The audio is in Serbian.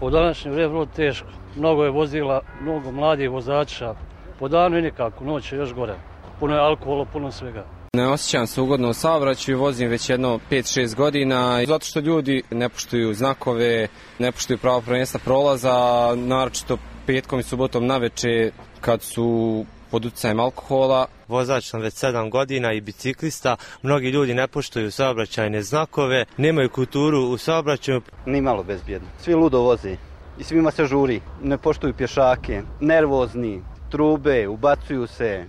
U današnje vrijeme vrlo teško. Mnogo je vozila, mnogo mladih vozača. Po danu i nikako, noć je još gore. Puno je alkohola, puno svega. Ne osjećam se ugodno u saobraćaju, vozim već jedno 5-6 godina, zato što ljudi ne poštuju znakove, ne poštuju pravo prvenstva prolaza, naročito petkom i subotom naveče kad su pod utjecajem alkohola. Vozač sam već 7 godina i biciklista, mnogi ljudi ne poštuju saobraćajne znakove, nemaju kulturu u saobraćaju. Ni malo bezbjedno, svi ludo voze i svima se žuri, ne poštuju pješake, nervozni, trube, ubacuju se.